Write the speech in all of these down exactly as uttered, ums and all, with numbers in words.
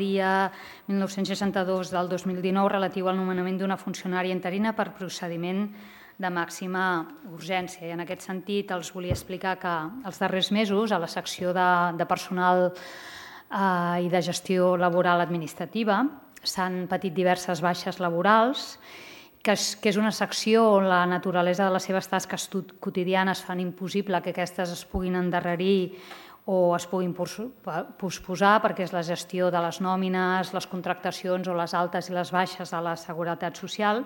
dia mil nou-cents seixanta-dos del dos mil dinou relatiu al nomenament d'una funcionària interina per procediment de màxima urgència. I en aquest sentit els volia explicar que els darrers mesos a la secció de, de personal eh, i de gestió laboral administrativa s'han patit diverses baixes laborals, que és, que és una secció on la naturalesa de les seves tasques quotidianes fan impossible que aquestes es puguin endarrerir o es puguin posposar, perquè és la gestió de les nòmines, les contractacions o les altes i les baixes de la Seguretat Social.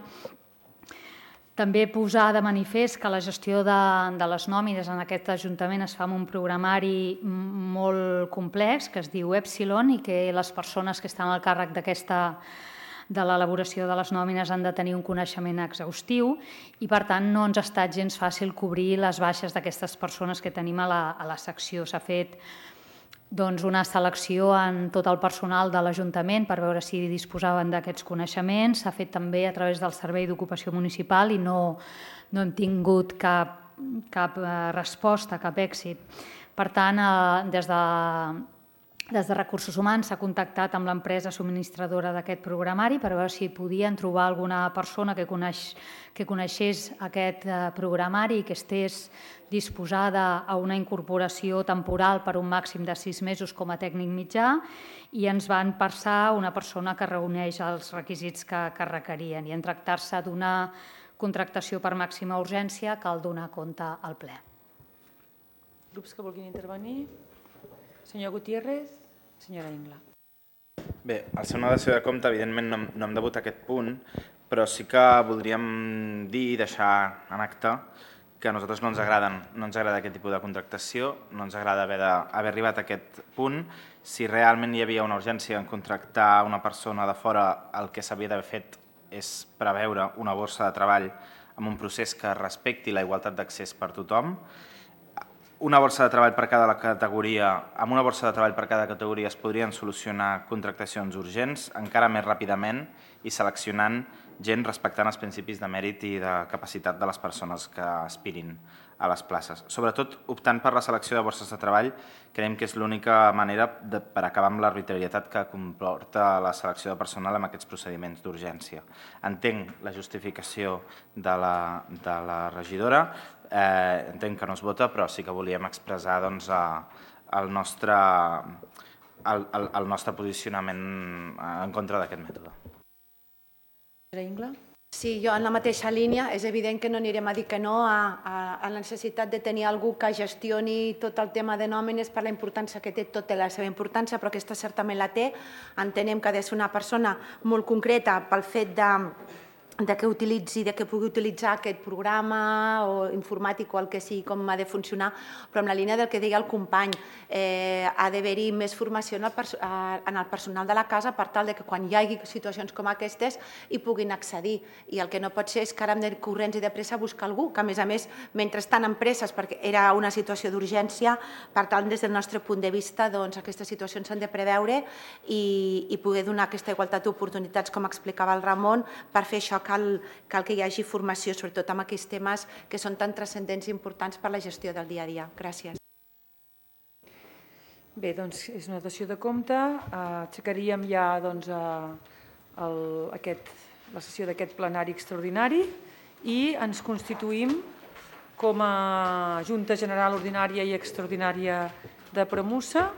També posar de manifest que la gestió de, de les nòmines en aquest Ajuntament es fa amb un programari molt complex que es diu Epsilon i que les persones que estan al càrrec d'aquesta de l'elaboració de les nòmines han de tenir un coneixement exhaustiu i, per tant, no ens ha estat gens fàcil cobrir les baixes d'aquestes persones que tenim a la, a la secció. S'ha fet doncs, una selecció en tot el personal de l'Ajuntament per veure si disposaven d'aquests coneixements. S'ha fet també a través del Servei d'Ocupació Municipal i no, no hem tingut cap, cap resposta, cap èxit. Per tant, eh, des de Des de Recursos Humans s'ha contactat amb l'empresa subministradora d'aquest programari per veure si podien trobar alguna persona que, coneix, que coneixés aquest programari i que estés disposada a una incorporació temporal per un màxim de sis mesos com a tècnic mitjà i ens van passar una persona que reuneix els requisits que, que requerien. I en tractar-se d'una contractació per màxima urgència cal donar compte al ple. Grups que vulguin intervenir? Senyor Gutiérrez, senyora Ingla. Bé, al ser una dació de compte, evidentment no, no hem de votar aquest punt, però sí que voldríem dir i deixar en acte que a nosaltres no ens agraden, no ens agrada aquest tipus de contractació, no ens agrada haver, de, haver arribat a aquest punt. Si realment hi havia una urgència en contractar una persona de fora, el que s'havia d'haver fet és preveure una borsa de treball amb un procés que respecti la igualtat d'accés per tothom. Una borsa de treball per cada categoria, amb una borsa de treball per cada categoria es podrien solucionar contractacions urgents encara més ràpidament i seleccionant gent respectant els principis de mèrit i de capacitat de les persones que aspirin a les places. Sobretot, optant per la selecció de borses de treball, creiem que és l'única manera de, per acabar amb l'arbitrarietat que comporta la selecció de personal amb aquests procediments d'urgència. Entenc la justificació de la, de la regidora, eh, entenc que no es vota, però sí que volíem expressar doncs, el, nostre, el, el, el nostre posicionament en contra d'aquest mètode. Ingla? Sí, jo en la mateixa línia, és evident que no anirem a dir que no a, a, a la necessitat de tenir algú que gestioni tot el tema de nòmines per la importància que té, tot té la seva importància, però aquesta certament la té. Entenem que ha de ser una persona molt concreta pel fet de de que utilitzi, de que pugui utilitzar aquest programa o informàtic o el que sigui, com ha de funcionar, però en la línia del que deia el company, eh, ha d'haver-hi més formació en el, en el personal de la casa per tal de que quan hi hagi situacions com aquestes hi puguin accedir. I el que no pot ser és que ara hem de corrents i de pressa buscar algú, que a més a més, mentre estan en presses, perquè era una situació d'urgència, per tant, des del nostre punt de vista, doncs, aquestes situacions s'han de preveure i, i poder donar aquesta igualtat d'oportunitats, com explicava el Ramon, per fer això Cal, cal que hi hagi formació, sobretot amb aquells temes que són tan transcendents i importants per la gestió del dia a dia. Gràcies. Bé, doncs és una dació de compte. Aixecaríem ja doncs, el, aquest, la sessió d'aquest plenari extraordinari i ens constituïm com a Junta General Ordinària i Extraordinària de Premussa.